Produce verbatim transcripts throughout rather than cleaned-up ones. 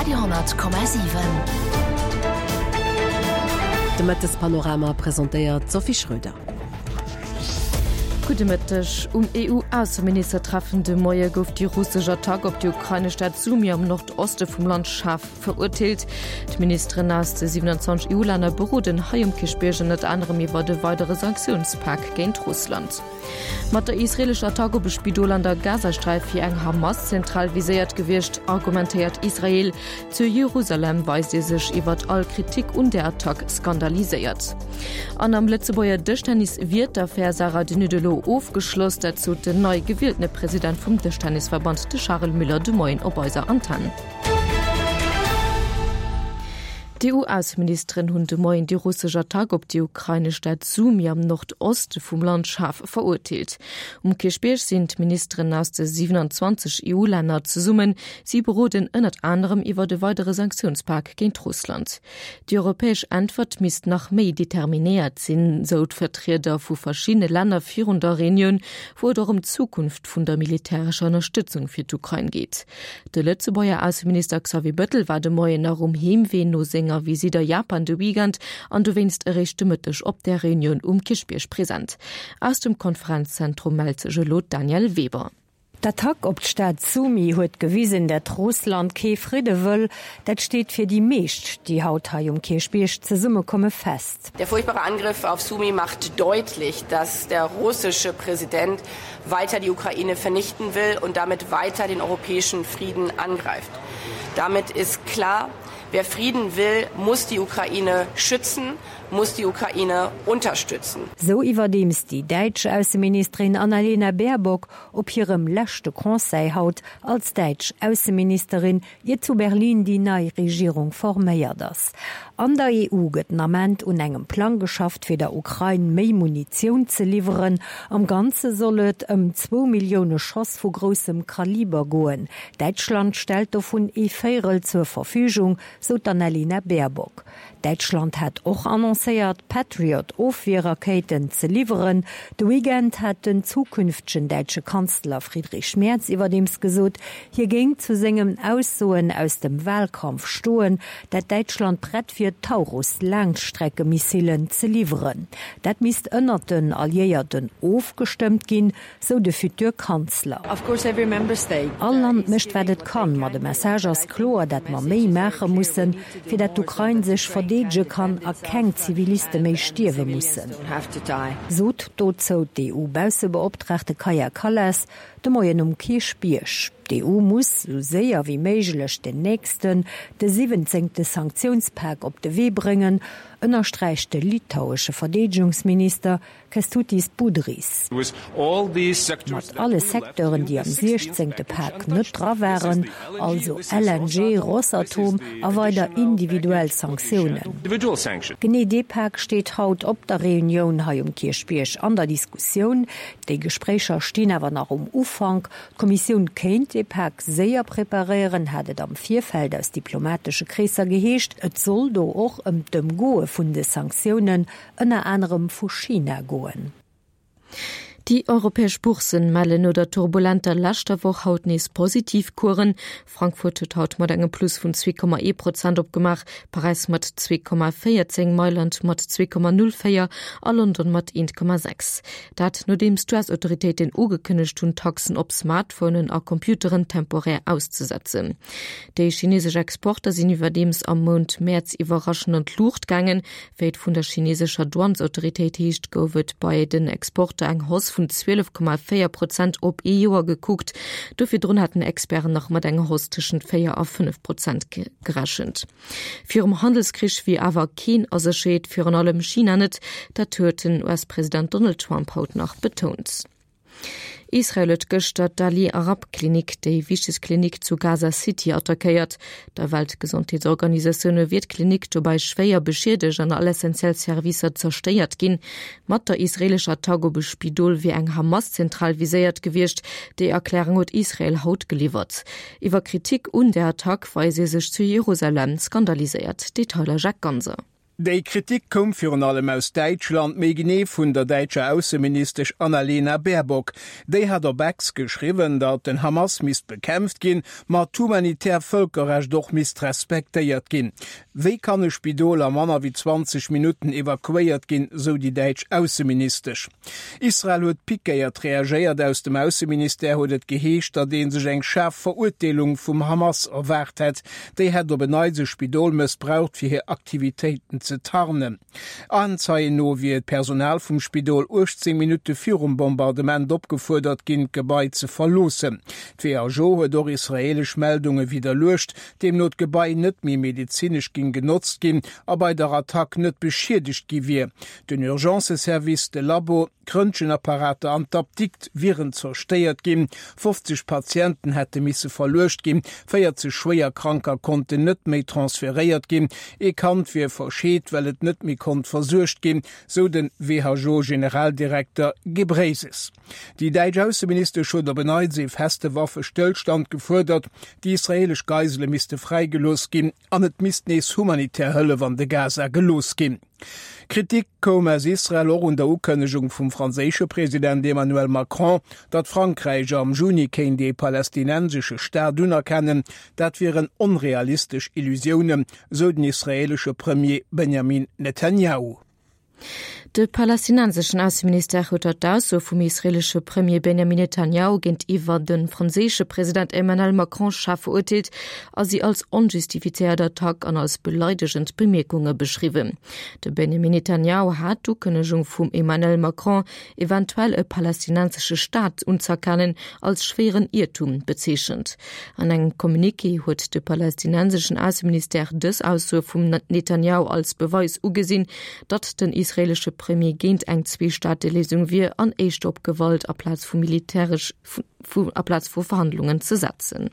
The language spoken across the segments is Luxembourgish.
Radio honnert Komma siwen. De Mëttespanorama presentéiert d'Sophie Schröder. Gudde Mëtteg. Um EU-Ausseministertreffen de Moie gouf déi russesch Attack op déi ukrainesch Stad Sumy am Nordoste vum Land schaarf verurteelt. D'Ministeren aus de siwenanzwanzeg EU-Länner beroden hei um Kierchbierg ënnert anerem iwwer e weidere Sanktiounspak géint Russland. Mat der israeelescher Attack op e Spidol an der Gazasträif wier eng Hamas-Zentral viséiert gewiescht, argumentéiert Israel. Zu Jerusalem weist ee sech iwwert all Kritik un der Attack skandaliséiert. An am Lëtzebuerger Dëschtennis wier d'Affär Sarah De Nutte elo ofgeschloss. Dat sot den nei gewieltene President vum Dëschtennisverband, de Charel Müller, de Moien op eiser Antenn. D'EU-Ausseministeren hunn de Moien déi russesch Attack op déi ukrainesch Stad Sumy am Nordoste vum Land schaarf verurteelt. Um Kierchbierg sinn d'Ministeren aus de siwenanzwanzeg EU-Länner zesummen. Si beroden ënnert anerem iwwer e weidere Sanktiounspak géint Russland. Déi europäesch Äntwert misst nach méi determinéiert sinn, sou d'Vertrieder vu verschiddene Länner virun der Reunioun, wou et och ëm d'Zukunft vun der militärescher Ënnerstëtzung fir d'Ukrain geet. De Lëtzebuerger Ausseminister Xavier Bettel war de Moien nach um Heemwee no senger Visitt a Japan de Weekend an dowéinst eréischt de Mëtteg op der Reunioun um Kierchbierg present. Aus dem Konferenzzentrum mellt sech elo d'Danièle Weber. D'Attack op d'Stad Sumy huet gewisen, dat Russland kee Fridde wëll. Dat steet fir déi meescht, déi haut hei um Kierchbierg zesummekomme fest. Der furchtbare Angriff auf Sumy macht deutlich, dass der russische Präsident weiter die Ukraine vernichten will und damit weiter den europäischen Frieden angreift. Damit ist klar, wer Frieden will, muss die Ukraine schützen, muss die Ukraine unterstützen. Sou iwwerdeems déi däitsch Ausseministerin Annalena Baerbock op hirem leschte Conseil haut als däitsch Ausseministerin, ier zu Berlin déi nei Regierung forméiert ass. An der E U gëtt den Ament un engem Plang geschafft, fir der Ukrain méi Munitioun ze liwweren. Am Ganze soll et ëm zwou Millioune Schoss vu groussem Kaliber goen. Däitschland stellt dovun ee Véierel zur Verfügung, sou d'Annalena Baerbock. Däitschland hat och annoncéiert, Patriot-Ofwierrakéiten ze liwweren. De Weekend hat den zukünftegen däitsche Kanzler Friedrich Merz iwwerdeems gesot, hie géing zu sengen Aussoen aus dem Walkampf stoen, dat Däitschland prett wier, Taurus-Laangstreckemissilen ze liwweren. Dat misst ënnert den Alliéierten ofgestëmmt ginn, sou de futur Kanzler. All Land mécht wat et kann, ma de Message ass kloer, dat mer méi maache mussen, fir dat d'Ukrain sech verdeedege kann a keng Ziviliste méi stierwe mussen, sot dozou d'E U-Baussebeoptraagte Kaja Kallas de Moien um Kierchbierg. D'E U muss sou séier wéi méiglech den nächsten, de siwwenzéngte Sanktiounspak op de Wee bréngen, ënnersträicht de litauesche Verdeedegungsminister Kęstutis Budrys. Mat alle Secteuren, déi am siechzéngte Pak net dra waren, also L N G, Rosatom a weider individuell Sanktiounen. Genee dee Pak steet haut op der Reunioun hei um Kierchbierg an der Diskussioun. Déi Gespréicher stinn awer nach um Ufank. D'Kommissioun kéint dee Pak séier preparéieren, hat et am Virfeld aus diplomatesche Kreesser geheescht. Et soll do och ëm d'Ëmgoe vun de Sanktiounen, ënner anerem vu China, goen. Déi europäesch Bourssen mellen no der turbulenter leschter Woch haut nees positiv Coursen. Frankfurt huet haut mat engem Plus vun zwee Komma ee Prozent opgemaach, Paräis mat zwee Komma véierzéng, Mailand mat zwee Komma null véier a London mat eent Komma sechs. Dat nodeems d'U S-Autoritéiten ugekënnegt hunn, Taxen op Smartphonen a Computeren temporär auszesetzen. Déi chinesesch Exporter sinn iwwerdeems am Mount Mäerz iwwerraschend an d'Luucht gaangen. Wéi et vun der chinesescher Douanesautoritéit heescht, gouf et bei den Exporter eng Hausse vun zwielef Komma véier Prozent op ee Joer gekuckt. Do virdrun haten Experten nach mat enger Hausse tëschent véier a fënnef Prozent gerechent. Virum Handelskrich wier awer keen a Sécherheet, virun allem China net, dat huet den U S-President Donald Trump haut nach betount. Israel huet gëschter d'Ali-Arab-Klinik, déi wichtegst Klinik zu Gaza City, attackéiert. Der Weltgesondheetsorganisatioun no wier d'Klinik dobäi schwéier beschiedegt an all essentiell Servicer zerstéiert ginn. Mat der israeelescher Attack op e Spidol wier eng Hamas-Zentral viséiert gewiescht. Déi Erklärung huet Israel haut geliwwert. Iwwer Kritik un der Attack weist ee sech zu Jerusalem skandaliséiert. Detailer Jacques Ganser. Déi Kritik koum virun allem aus Däitschland, méi genee vun der däitscher Ausseministesch Annalena Baerbock. Déi hat op X geschriwwen, datt den Hamas misst bekämpft ginn, ma d'humanitär Vëlkerrecht och misst respektéiert ginn. Wéi kann e Spidol a manner wéi zwanzeg Minutten evakuéiert ginn, sou déi däitsch Ausseministesch. Israel huet pikéiert reagéiert, aus dem Ausseministère huet et geheescht, datt ee sech eng schaarf Verurteelung vum Hamas erwaart hätt. Déi hätt op en Neits e Spidol mëssbraucht, fir hir Aktivitéiten ze tarnen. Aenzeien no wier d'Personal vum Spidol uechtzéng Minutte virum Bombardement opgefuerdert ginn, d'Gebai ze verloossen. D'WHO huet och israeelesch Meldunge widderluecht, deemno d'Gebai net méi medezinesch géing genotzt ginn a bei der Attack net beschiedegt gi wier. Den Urgencëservice, de Labo, d'Röntgenapparater an d'Apdikt wieren zerstéiert ginn, fofzeg Patienten hätte misse verluecht ginn, véierzeg Schwéierkranker konnten net méi transferéiert ginn, ee Kand wier verscheet, well et net méi konnt versuergt ginn, sou de WHO-Generaldirekter Ghebreyesus. Déi däitsch Ausseministesch huet op en Neits ee feste Waffestëllstand gefuerdert, déi israeelesch Geisele misste fräigelooss ginn an et misst nees humanitär Hëllef an de Gaza gelooss ginn. Kritik koum aus Israel och un der Ukënnegung vum franséische President Emmanuel Macron, datt Frankräich am Juni kéint ee palästinensesche Staat unerkennen. Dat wieren onrealistesch Illusiounen, sou den israeelesche Premier Benjamin Netanjahu. De palästinenseschen Ausseministère huet der d'Ausso vum israeelesche Premier Benjamin Netanjahu géintiwwer de franséische President Emmanuel Macron schaarf verurteelt a si als onjustifizéiert Attack an als beleidegend Bemierkunge beschriwwen. De Benjamin Netanjahu hat d'Ukënnegung vum Emmanuel Macron, eventuell e palästinensesche Staat unzëerkennen, als schwéieren Iertum bezeechent. An engem Communiqué huet de palästinenseschen Ausseministère dës Aussoe vum Netanjahu als Beweis ugesinn, datt den israeelesche Premier géint eng Zwee-Staate-Léisung wier an éischter op Gewalt aplaz vu militäresch aplaz vu Verhandlungen ze setzen.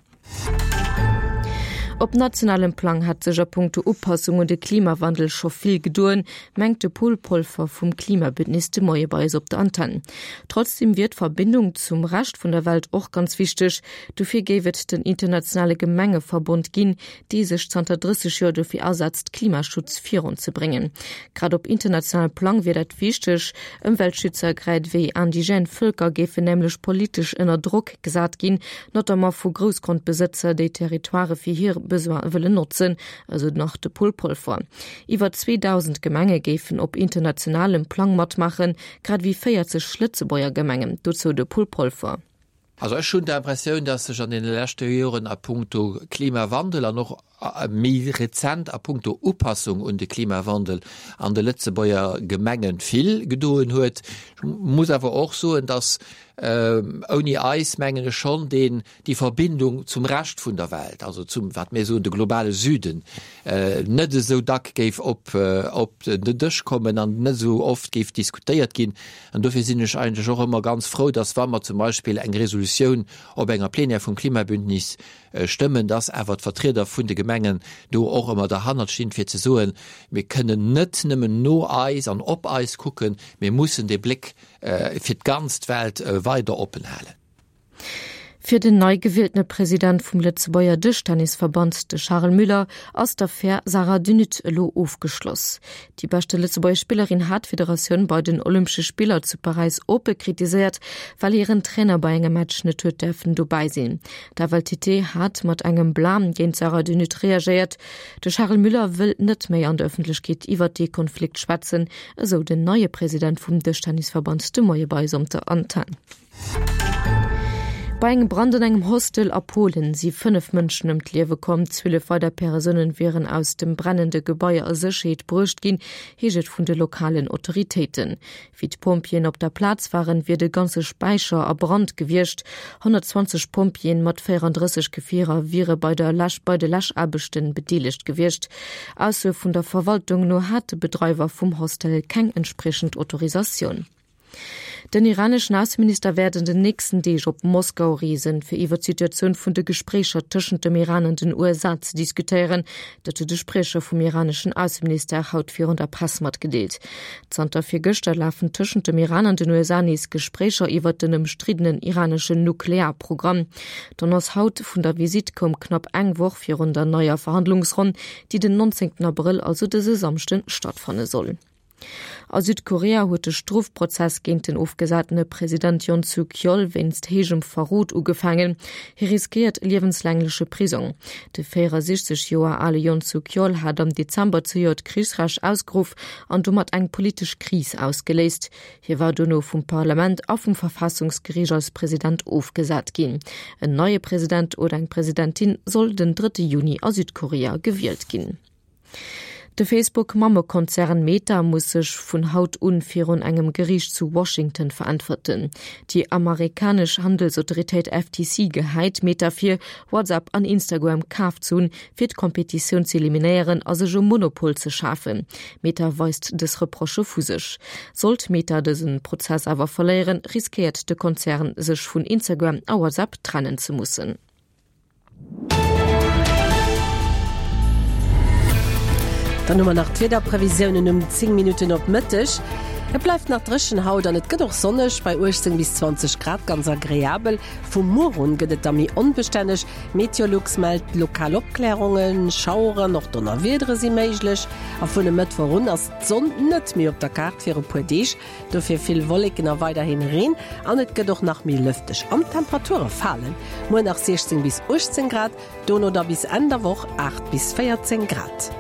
Op nationalem Plang hätt sech a punkto Upassung un de Klimawandel scho vill gedoen, mengt de Paul Polfer vum Klimabündnis de Moie bei eis op der Antenn. Trotzdeem wier d'Verbindung zum Rescht vun der Welt och ganz wichteg. Dofir géif et den internationale Gemengeverbond ginn, dee sech zanter drësseg Joer dofir asetzt, Klimaschutz virunzebréngen. Grad op internationalem Plang wier dat wichteg. Ëmweltschützer grad ewéi indigène Vëlker géifen nämlech politesch ënner Drock gesat ginn, notamment vu Groussgrondbesëtzer, déi Territoire fir hir Besoine wëllen notzen, esou nach de Paul Polfer. Iwwer zweedausend Gemenge géifen op internationalem Plang matmaachen, grad ewéi véierzeg Lëtzebuerger Gemengen, dozou de Paul Polfer. Also ech hunn d'Impressioun, dass sech an deene leschte Joren a punkto Klimawandel an och méi rezent a punkto Upassung un de Klimawandel an de Lëtzebuerger Gemenge vill gedoen huet. Ech muss awer och soen, dass ouni eis, mengen ech, schonn deen, déi Verbindung zum Rescht vun der Welt, also zum, wat mir soen, de globale Süden, net esou dack géif op, op den Dësch kommen an net esou oft géif diskutéiert ginn. An dofir sinn ech eigentlech och ëmmer ganz frou, dass, wa mer zum Beispill eng Resolutioun op enger Plenière vum Klimabündnis stëmmen, dass awer d'Vertrieder vun de Gemengen do och ëmmer derhannert stinn, fir ze soen, mir kënnen net nëmmen no eis an op eis kucken, mir mussen de Bléck fir d'ganz Welt weider oppen halen. Fir den nei gewieltene President vum Lëtzebuerger Dëschtennisverband, de Charel Müller, ass d'Affär Sarah De Nutte elo ofgeschloss. Déi beschte Lëtzebuerger Spillerin hat d'Federatioun bei den Olympesche Spiller zu Paräis oppe kritiséiert, well hiren Trainer bei engem Match net huet däerfen dobäi sinn. D'F L T T hat mat engem Blam géint d'Sarah De Nutte reagéiert. De Charel Müller wëll net méi an der Ëffentlechkeet iwwert dee Konflikt schwätzen, esou den neie President vum Dëschtennisverband de Moie bei eis op der Antenn. Bei engem Brand an engem Hostel a Polen si fënnef Mënschen ëm d'Liewe komm, zwielef weider Persoune wieren aus dem brennende Gebai a Sécherheet bruecht ginn, heescht et vun de lokalen Autoritéiten. Wéi d'Pompjeeën op der Plaz waren, wier de ganze Späicher a Brand gewiescht. honnertzwanzeg Pompjeeën mat véierandrësseg Gefierer wiere bei der Läsch bei de Läschaarbechten bedeelegt gewiescht. Aussoe vun der Verwaltung no hat de Bedreiwer vum Hostel keng entspriechend Autorisatioun. Den iraneschen Ausseminister wäert an den nächsten Deeg op Moskau reesen, fir iwwer d'Situatioun vun de Gespréicher tëschent dem Iran an den U S A ze diskutéieren. Dat huet de Spriecher vum iraneschen Ausseministère haut virun der Press matgedeelt. Zanter virgëschter lafen tëschent dem Iran an den U S A nees Gespréicher iwwer den ëmstriddenen iraneschen Nuklearprogramm. D'Annonce haut vun der Visitt koum knapp eng Woch virun der neier Verhandlungsronn, déi den neunzehnten Abrëll, also dëse Samschden, stattfanne soll. A Südkorea huet de Strofprozess géint den ofgesatene President Yoon Suk-yeol wéinst héijem Verrot ugefaangen. Hie riskéiert liewenslängleche Prisong. De véierasichzeg Joer ale Yoon Suk-yeol hat am Dezember zejoert Krichsrecht ausgeruff an domat eng politesch Kris ausgeléist. Hie war dono vum Parlament a vum Verfassungsgeriicht als President ofgesat ginn. En neie President oder eng Presidentin soll den drëtte Juni a Südkorea gewielt ginn. De Facebook-Mammekonzern Meta muss sech vun haut un virun engem Geriicht zu Washington veräntwerten. Déi amerikanesch Handelsautoritéit F T C gehäit Meta vir, WhatsApp an Instagram kaaft ze hunn, fir d'Kompetitioun ze eliminéieren a sech e Monopol ze schafen. Meta weist dës Reprochë vu sech. Sollt Meta dësen Prozess awer verléieren, riskéiert de Konzern, sech vun Instagram a WhatsApp trennen ze mussen. Dann hu mer nach d'Wiederprevisiounen um zéng Minutten op Mëtteg. Et bleift nach dréchen haut an et gëtt och sonneg bei uechtzéng bis zwanzeg Grad, ganz agreabel. Vum Muer un gëtt et da méi onbestänneg. Meteolux mellt lokal Opklärungen, Schaueren, och Donnerwiedere si méiglech. A vun e Mëttwoch un ass d'Sonn net méi op der Kaart fir e puer Deeg. Dofir vill Wolleken a weiderhin Reen an et gëtt och nach méi lëfteg. An d'Temperature falen. Muer nach siechzéng bis uechtzéng Grad, dono da bis Enn der Woch aacht bis véierzéng Grad.